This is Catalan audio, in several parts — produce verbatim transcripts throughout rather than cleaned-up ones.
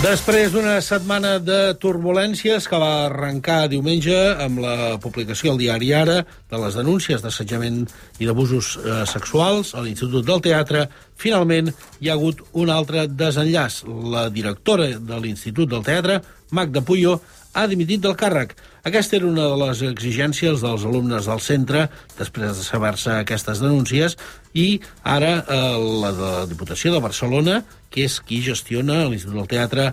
Després d'una setmana de turbulències que va arrencar diumenge amb la publicació al diari Ara de les denúncies d'assetjament i d'abusos eh, sexuals a l'Institut del Teatre, finalment hi ha hagut un altre desenllaç. La directora de l'Institut del Teatre, Magda Puyo, ha dimitit del càrrec. Aquesta era una de les exigències dels alumnes del centre després de saber-se aquestes denúncies i ara eh, la de la Diputació de Barcelona, que és qui gestiona l'Institut del Teatre,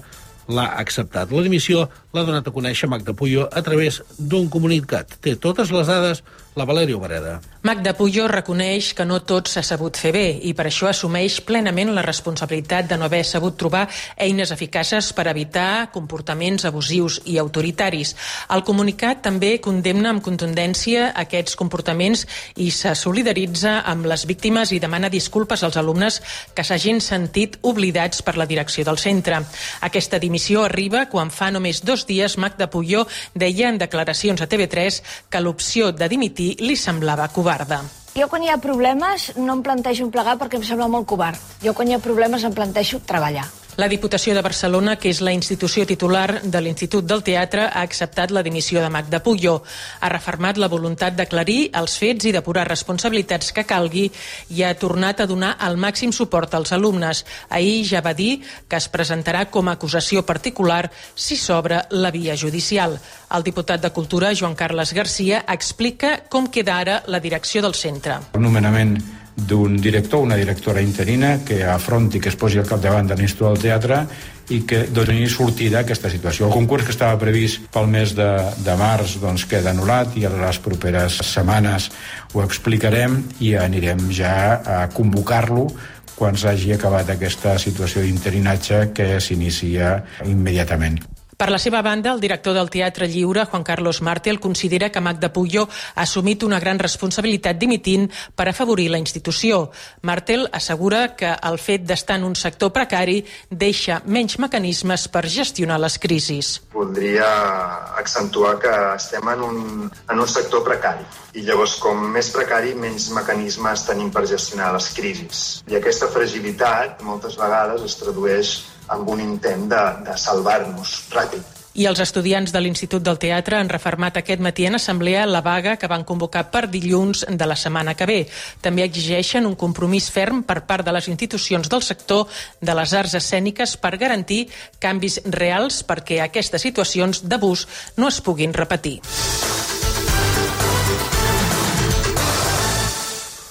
l'ha acceptat. La dimissió l'ha donat a conèixer Magda Puyo a través d'un comunicat. Té totes les dades la Valèria Obreda. Magda Puyo reconeix que no tot s'ha sabut fer bé i per això assumeix plenament la responsabilitat de no haver sabut trobar eines eficaces per evitar comportaments abusius i autoritaris. El comunicat també condemna amb contundència aquests comportaments i se solidaritza amb les víctimes i demana disculpes als alumnes que s'hagin sentit oblidats per la direcció del centre. Aquesta dimissió arriba quan fa només dos dies Magda Puyo deia en declaracions a T V tres que l'opció de dimitir li semblava covarda. Jo quan hi ha problemes no em plantejo plegar perquè em sembla molt covard. Jo quan hi ha problemes em plantejo treballar. La Diputació de Barcelona, que és la institució titular de l'Institut del Teatre, ha acceptat la dimissió de Magda Puyo. Ha refermat la voluntat d'aclarir els fets i depurar responsabilitats que calgui i ha tornat a donar el màxim suport als alumnes. Ahir ja va dir que es presentarà com a acusació particular si s'obre la via judicial. El diputat de Cultura, Joan Carles Garcia, explica com queda ara la direcció del centre. El nomenament d'un director, una directora interina que afronti, que es posi al capdavant de l'Institut del Teatre i que doni sortida a aquesta situació. El concurs que estava previst pel mes de, de març doncs, queda anul·lat i a les properes setmanes ho explicarem i anirem ja a convocar-lo quan s'hagi acabat aquesta situació d'interinatge que s'inicia immediatament. Per la seva banda, el director del Teatre Lliure, Juan Carlos Martel, considera que Magda Puyo ha assumit una gran responsabilitat dimitint per afavorir la institució. Martel assegura que el fet d'estar en un sector precari deixa menys mecanismes per gestionar les crisis. Voldria accentuar que estem en un, en un sector precari i llavors com més precari menys mecanismes tenim per gestionar les crisis. I aquesta fragilitat moltes vegades es tradueix amb un intent de, de salvar-nos ràpid. I els estudiants de l'Institut del Teatre han refermat aquest matí en assemblea la vaga que van convocar per dilluns de la setmana que ve. També exigeixen un compromís ferm per part de les institucions del sector de les arts escèniques per garantir canvis reals perquè aquestes situacions d'abús no es puguin repetir.